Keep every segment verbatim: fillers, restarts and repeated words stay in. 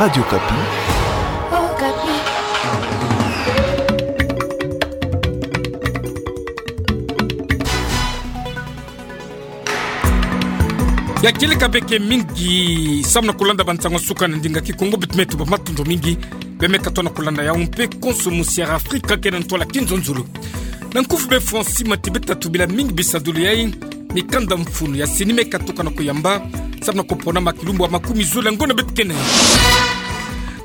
Radio Okapi. Ya kieleka beke mingi, samu na kolanda bansango ya suka na ndinga Kikongo, beto me tuba matondo mingi bemeka tona kolanda yau mpe konso musiara Afrika kena ntwala kinzonzolo. Na nkufi be Francis Mati beta tubila mingi bisadulu yai, mikanda mfunu ya CENI meka tuka na kuyamba, samu na koponama kilumbu ya makumi zole ya ngonda beto kena.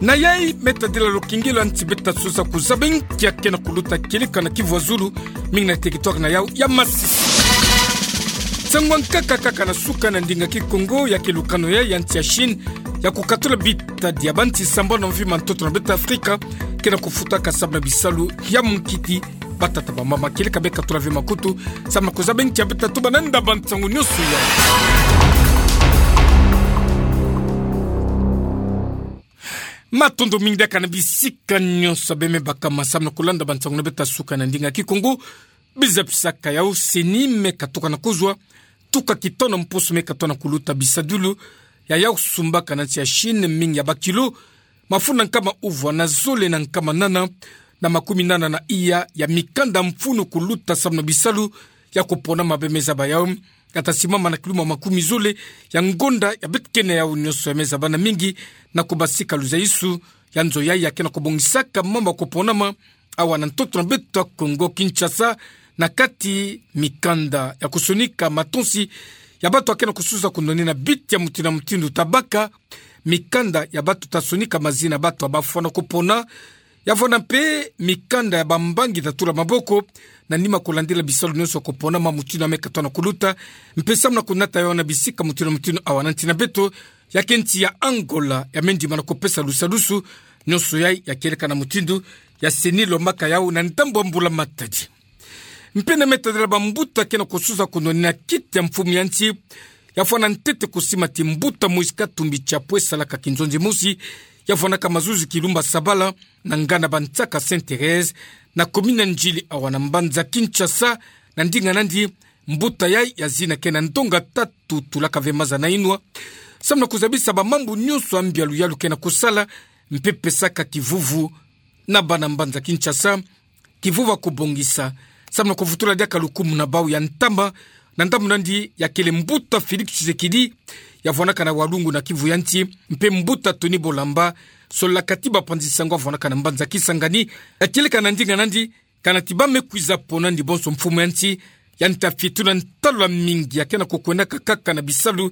Na yai me tadila lokengelo ya nti beta sosa kuzaba nkia kena kuluta kieleka na Kivu ya Zulu, mingi na territoire na yau ya Masisi. Nsangu ya nkaka kaka na suka na ndinga Kikongo, ya ke lukano yai ya nti ya Chine ya kukatula bitadi ya banti sambanu na mvi ma ntoto na beto Afrika kena kufutaka samu na bisalu ya mukiti. Batata, bamama, kieleka beka tula ve makutu samu na kuzaba nkia beta tuba na ndaba nsangu nyonso yai. Matondo mingi diaka na bisika nyonso beme bakama samu na kolanda bansangu na beto ya suka na ndinga Kikongo. Biza pisaka yau, CENI meka tuka na kozwa tuka kitono mposo meka tona kuluta bisadulu ya yau sumbaka na nti ya Chine, mingi ya bakilo mafunda nkama uvwa na zole na nkama nana na makumi nana na iya ya mikanda mfunu kuluta samu na bisalu ya koponama beme zaba yau. Kata simama na kilumbu ya makumi zole ya ngonda ya beto kena yau nyonso ya me zaba na mingi na kobasika luzaisu ya nzo yai ya kena kobongisaka mambu ya koponama awa na ntoto na beto ya Kongo Kinshasa, na kati mikanda ya kosonika matonsi ya bato ya kena kosusa kunonina biti ya mutindu na mutindu, ta baka mikanda ya bato ta sonika mazina ya bato ya bafwana kopona, ya vwanda mpe mikanda ya bambangi ta tula maboko na nima kolandila bisalu nyonso ya koponama mutindu ya meka tona kuluta, mpe samu na konata yau na bisika mutindu na mutindu awa na nti na beto. Ya ke nti ya Angola ya me ndima na kopesa lusadusu nyonso yai ya kieleka na mutindu ya CENI lombaka yau na ndambu ya mbula matadi. Mpe na me tadila bambuta kena kosusa kunonina kiti ya mfumu ya nti, ya vwanda ntete kosima ti mbuta Moïse Katumbi Chapwe salaka kinzonzi mosi ya vwandaka mazuzi kilumbu ya sabala na nganda bansaka Sainte Thérèse, na commune ya Ndjili awa na mbanza Kinshasa. Na ndinga nandi, mbuta yai ya zina kena ndonga tatu tulaka ve maza na inwa, samu na kozabisa bamambu nyonso ya mbialu yalu kena kosala, mpe pesaka kivuvu na bana mbanza Kinshasa kivuvu ya kobongisa, samu na kovutula diaka lukumu na bau ya ntama. Na ndambu nandi, ya kele mbuta Félix Tshisekedi ya vwandaka na Walungu na Kivu ya nti, mpe mbuta Tony Bolamba, solakati bapanzi sango ya vwandaka na mbanza Kisangani. Ya kieleka na ndinga nandi, kana ti ba me kwiza pona nandi bonso mfumu ya nti, yandi ta fitu na ntalu ya mingi ya kena kokwendaka kaka na bisalu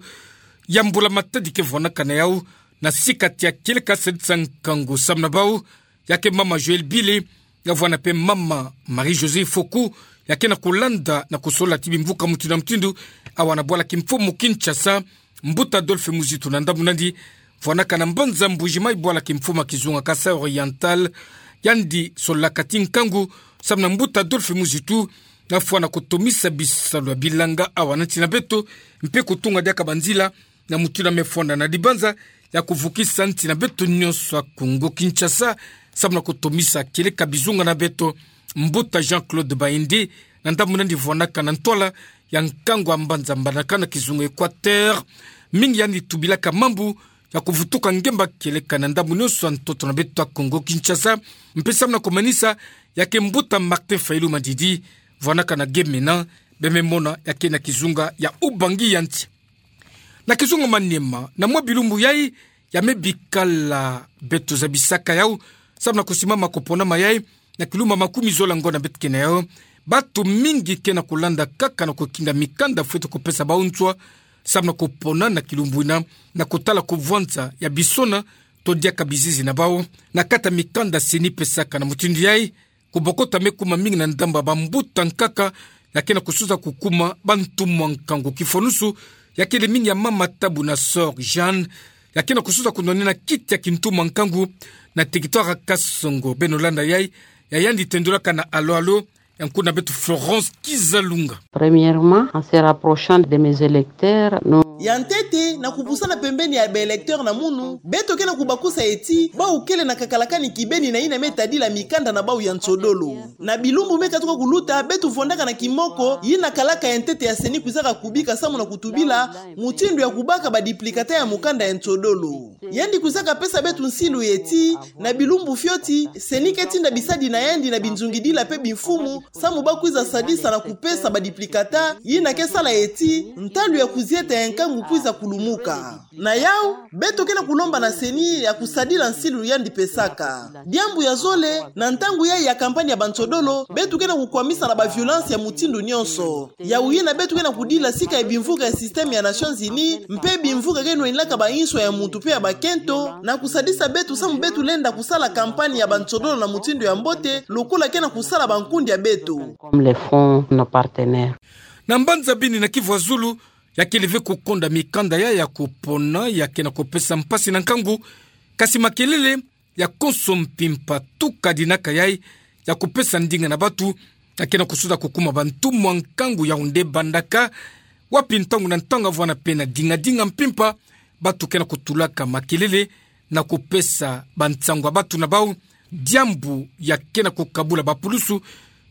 ya mbula matadi ke vwandaka na yau, na sika ti ya kieleka sadisa nkangu samu na bau, ya ke mama Joëlle Bile, ya vwanda mpe mama Marie-Josée Foku, ya kena kolanda na kosolola ti bimvuka mutindu na mutindu awa na bwala kimfumu Kinshasa. Mbuta Adolphe Muzitu na ndambu nandi, vwandaka na mbanza Mbuji-Mayi, bwala kimfumu ya kizunga Kasaï Oriental, yandi solakati nkangu samu na mbuta Adolphe Muzitu, na fwana kotomisa bisalu ya bilanga awa na nti na beto, mpe kotunga diaka banzila na mutindu ya me fwanda na dibanza ya kovukisa nti na beto nyonso ya Kongo Kinshasa, samu na kotomisa kieleka bizunga na beto. Mbuta Jean-Claude Baende, na ndambu nandi, vwandaka na ntwala ya nkangu ya mbanza Mbandaka na kizunga Équateur, mingi yandi tubilaka mambu ya kovutuka ngemba kieleka na ndambu nyonso ya ntoto na beto ya Kongo Kinshasa. Mpe samu na komanisa, ya ke mbuta Martin Fayulu Madidi, vwandaka na Gemena, beme mona ya ke na kizunga ya Ubangi ya nti. Na kizunga Maniema, na mwa bilumbu yai ya me bikala beto zabisaka yau, samu na kosimama koponama yai na kilumbu ya makumi zole ya ngonda beto kena yau, bato mingi kena kolanda kaka na kokinga mikanda fwete kopesa bau nswa, samu na kopona na kilumbu ina, na kotala kovwanza ya bisona to diaka bizizi na bau. Na kati ya mikanda CENI pesaka na mutindu yai, kobokota me kuma mingi na ndambu ya bambuta nkaka ya kena kosusa kokuma bantumwa nkangu kifwanusu, ya kele mingi ya mama Tabu na sœur Jeanne, ya kena kosusa kononina kiti ya kintumwa nkangu na territoire ya Kasongo. Beno landa yai, ya yandi tendulaka na Alo Alo ya nkuna beto Florence Kizalunga. Premièrement, en se rapprochant de mes électeurs, nous Ya ntete, na kupusana pembeni ya ba électeurs na munu, beto ke na kubakusa eti, bau kele na kakalakani kibeni na yina me tadila mikanda na bau ya nsodolo. Na bilumbu me katuka kuluta, beto vwandaka na kimoko yina kalaka ya ntete ya CENI kwizaka kubika samu na kutubila mutindu ya kubaka ba duplicata ya mukanda ya nsodolo. Yandi kwizaka pesa beto nsilu eti, na bilumbu fioti, CENI ke tinda bisadi na yandi na binzungidila pe bimfumu, samu ba kwiza sadisa na kupesa ba duplicata, yina ke sala eti ntalu ya kuzieta ya nkangu kwiza kulumuka. Na yau, beto ke na kulomba na CENI ya kusadila nsilu yandi pesaka. Diambu ya zole, na ntangu yayi ya campagne ya ba nsodolo, beto ke na kukwamisa na ba violence ya mutindu nionso. Yau yina beto ke na kudila sika ya bimvuka ya système ya Nations Unies, mpe bimvuka ke nwanilaka ba inswa ya muntu pe ya bakento, na kusadisa beto samu beto lenda kusala campagne ya ba nsodolo na mutindu ya mbote, lokola ke na kusala bankundi ya beto. Comme le font nos partenaires. Na mbanza Beni na Kivu ya Zulu, ya kele ve kukonda mikanda ya, ya kupona, ya ke na kupesa mpasi na nkangu, kasi makelele ya konso mpimpa tuka dinaka yayi, ya kupesa ndinga na batu, ya ke na kusuda kukuma bantumwa nkangu ya onde bandaka, wapi ntangu na ntangu avwana pe na dinga-dinga mpimpa, batu ke na kutulaka makelele, na kupesa bansangu ya batu na bau, diambu ya ke na kukabula bapulusu,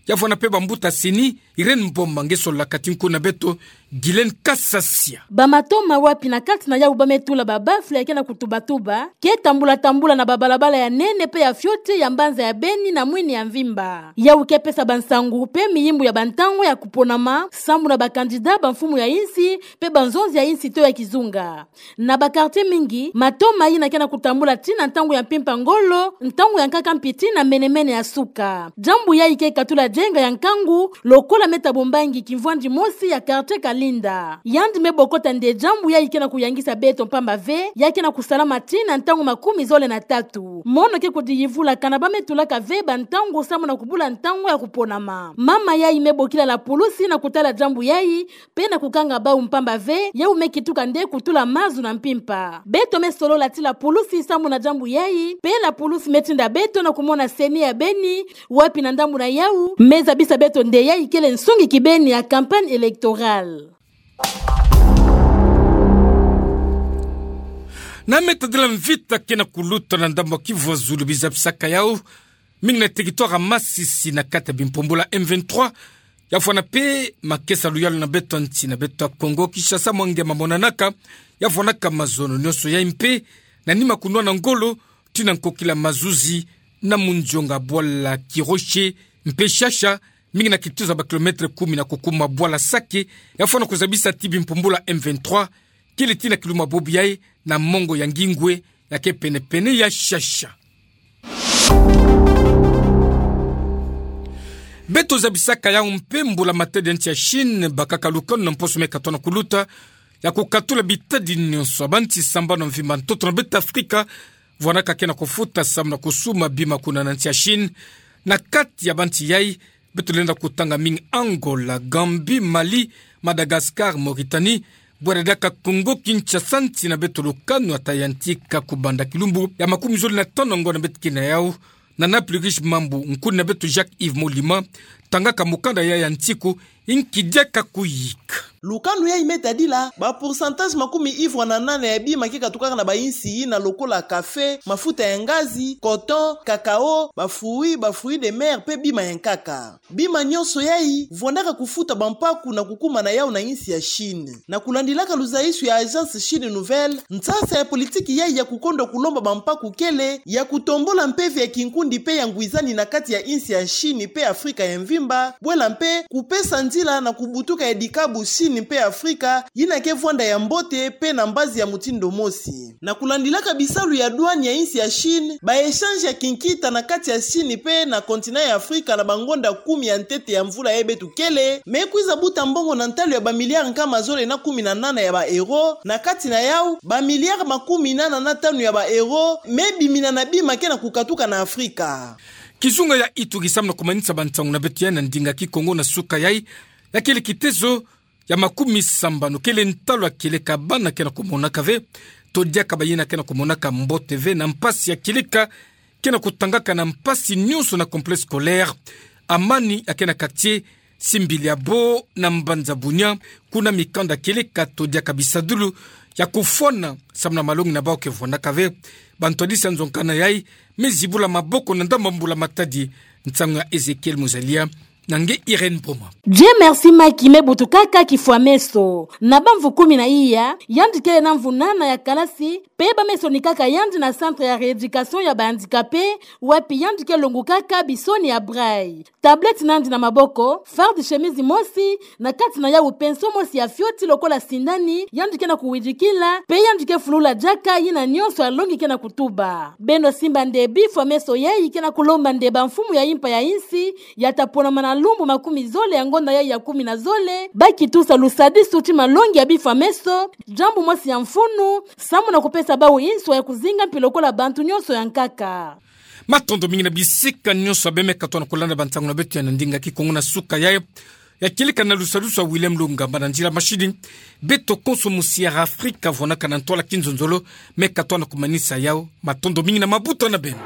ya vwanda pe bambuta CENI, Irène Mboma nge sololaka ti nkundu na beto, Guylaine Kasasia. Bamatoma wapi na kati na yau ba me tula ba baffle ya ke na kutubatuba, ke tambula-tambula na babalabala ya nene pe ya fioti ya mbanza ya Beni na mwini ya mvimba. Yau ke pesa bansangu pe miyimbu ya bantangu ya kuponama, samu na ba candidat, bamfumu ya insi, pe banzonzi ya insi to ya kizunga. Na ba quartier mingi, matoma yina ke na kutambula tii na ntangu ya mpimpa ngolo, ntangu ya nkaka mpi tii na mene-mene ya suka. Diambu yayi ke katula dienga ya nkangu, lokola Me Thabo Mbangi, kimvwandi mosi ya quartier Kalinda. Yandi me bokota nde diambu yayi ke na kuyangisa beto mpamba ve, ya ke na kusalama tii na ntangu makumi zole na tatu. Mono ke kudiyivula kana ba me tulaka ve bantangu samu na kubula ntangu ya kuponama. Mama yayi me bokila la pulusi na kutala diambu yayi, pe na kukanga bau mpamba ve, yau me kituka nde kutula mazu na mpimpa. Beto me solola ti la pulusi samu na diambu yayi, pe la pulusi me tinda beto na kumona CENI ya Beni, wapi na ndambu na yau, me zabisa beto nde yayi kele nsungi kibeni ya campagne électorale. Na me tadila mvita ke na kuluta na ndambu ya Kivu ya Zulu, bi zabisaka yau mingi na territoire ya Masisi na kati ya bimpumbulu ya M vingt-trois, ya vwanda pe makesa luyalu na beto ya nsi na beto ya Kongo Kinshasa, mwa nge mamonanaka, ya vwandaka mazono nionso yayi mpe na nima kunwana ngolo tii na nkokila mazuzi na munzonga bwala Kiroshi mpe Shasha, mingi na kituza ba kilomètre kumi na kukuma bwala Sake, ya vwanda kuzabisa ti bimpumbulu ya M vingt-trois kele tii na kiluma bobo yayi na mongo ya Ngingwe, ya ke pene-pene ya Shasha. Beto zabisaka yau mpe mbula-matadi ya nsi ya Chine bakaka lukanu na mposo me katono kuluta ya kukatula bitadi nionso ya bansi sambanu ya mvimba ntoto na beto Afrika, vwandaka ke na kufuta samu na kusuma bima kuna na nsi ya Chine. Na kati ya bansi yayi, beto lenda kutanga mingi Angola, Gambie, Mali, Madagascar, Mauritanie, bwere diaka Congo Kinshasa, nsi na beto lukanu ata yantika kubanda kilumbu ya makumi zole na tano ngonda beto ke na yau. Na Naples Riche Mambu, nkuni na beto Jacques Yves Molima tangaka mukanda yayi ya nsiku, inki diaka kuyika. Lukanu yayi me tadila ba pourcentage makumi ivwa na nana ya bima ke katukaka na ba insi yina lokola café, mafuta ya ngazi, coton, cacao, ba fruits, ba fruits de mer mpe bima ya nkaka. Bima nionso yayi vwandaka kufuta bampaku na kukuma na yau na insi ya Chine. Na kulandilaka luzaisu ya Agence Chine Nouvelle, nsasa ya politiki yayi ya kukondwa kulomba bampaku kele ya kutombula mpeve ya kinkundi mpe ya ngwizani na kati ya insi ya Chine mpe Afrika ya mvimba, bwela mpe kupesa nzila na kubutuka ya dikabu Chine mpe Afrika yina ke vwanda ya mbote mpe na mbazi ya mutindu mosi. Na kulandilaka bisalu ya douane ya insi ya Chine, ba échange ya kinkita na kati ya Chine mpe na continent ya Afrika na bangonda kumi ya ntete ya mvula yayi beto kele me kwiza buta mbongo na ntalu ya ba milliards nkama zole na kumi na nana ya ba euros, na kati na yau ba milliards makumi nana na tanu ya ba euros me bimina na bima ke na kukatuka na Afrika. Kizunga ya Ituri samu na kumanisa bansangu na beto yayi na ndinga Kikongo na suka yayi, ya kele kitezo ya makumi sambanu kele ntalu ya kieleka bana ke na kumonaka ve, to diaka bayina ke na kumonaka mbote ve, na mpasi ya kieleka ke na kutangaka na mpasi nionso na complexe scolaire Amani ya ke na quartier Simbili ya bo na mbanza Bunia, kuna mikanda kieleka todiaka bisadulu ya kufwana samu na malongi na bau ke fwanaka ve. Bantu ya disa nzonga na yai, me zibula maboko na ndambu mbula matadi. Nsangu ya Ezekiel Muzalia, na nge Irène Boma. Dieu merci Macky, me butukaka kifwa meso. Na bamvu kumi na iya, yandi kele na mvu nana ya kalasi, pe ba meso ni kaka yandi na centre ya rééducation ya ba handicapés, wapi yandi ke longukaka bisoni ya braille. Tablette nandi na maboko, farde chemise mosi, na kati na yawu pinceau mosi ya fioti lokola sindani, yandi ke na kuwidikila, pe yandi ke fulula diaka yina nyonso alongi ke na kutuba. Beno simba nde bifwa meso yai ke na kulomba nde ba mfumu ya impa ya insi, ya ta ponama na lumbu makumi zole ya ngonda yai ya kumi na zole, ba kitusa lusadisu ti malongi ya bifwa meso, diambu mosi ya mfunu, samu na kupesa bawu inswa ya kuzinga mpi lokola bantu nyonso ya nkaka. Matondo mingi na bisika nyonso ya bemeka tona kulanda bansangu na beto ya na ndinga Kikongo na suka yai, ya kieleka na lusadisu ya William Lungamba na nzila mashini. Beto konso musi ya Afrika fwanaka na ntwala kinzonzolo, meka tona kumanisa yau. Matondo mingi na mabuta na beno.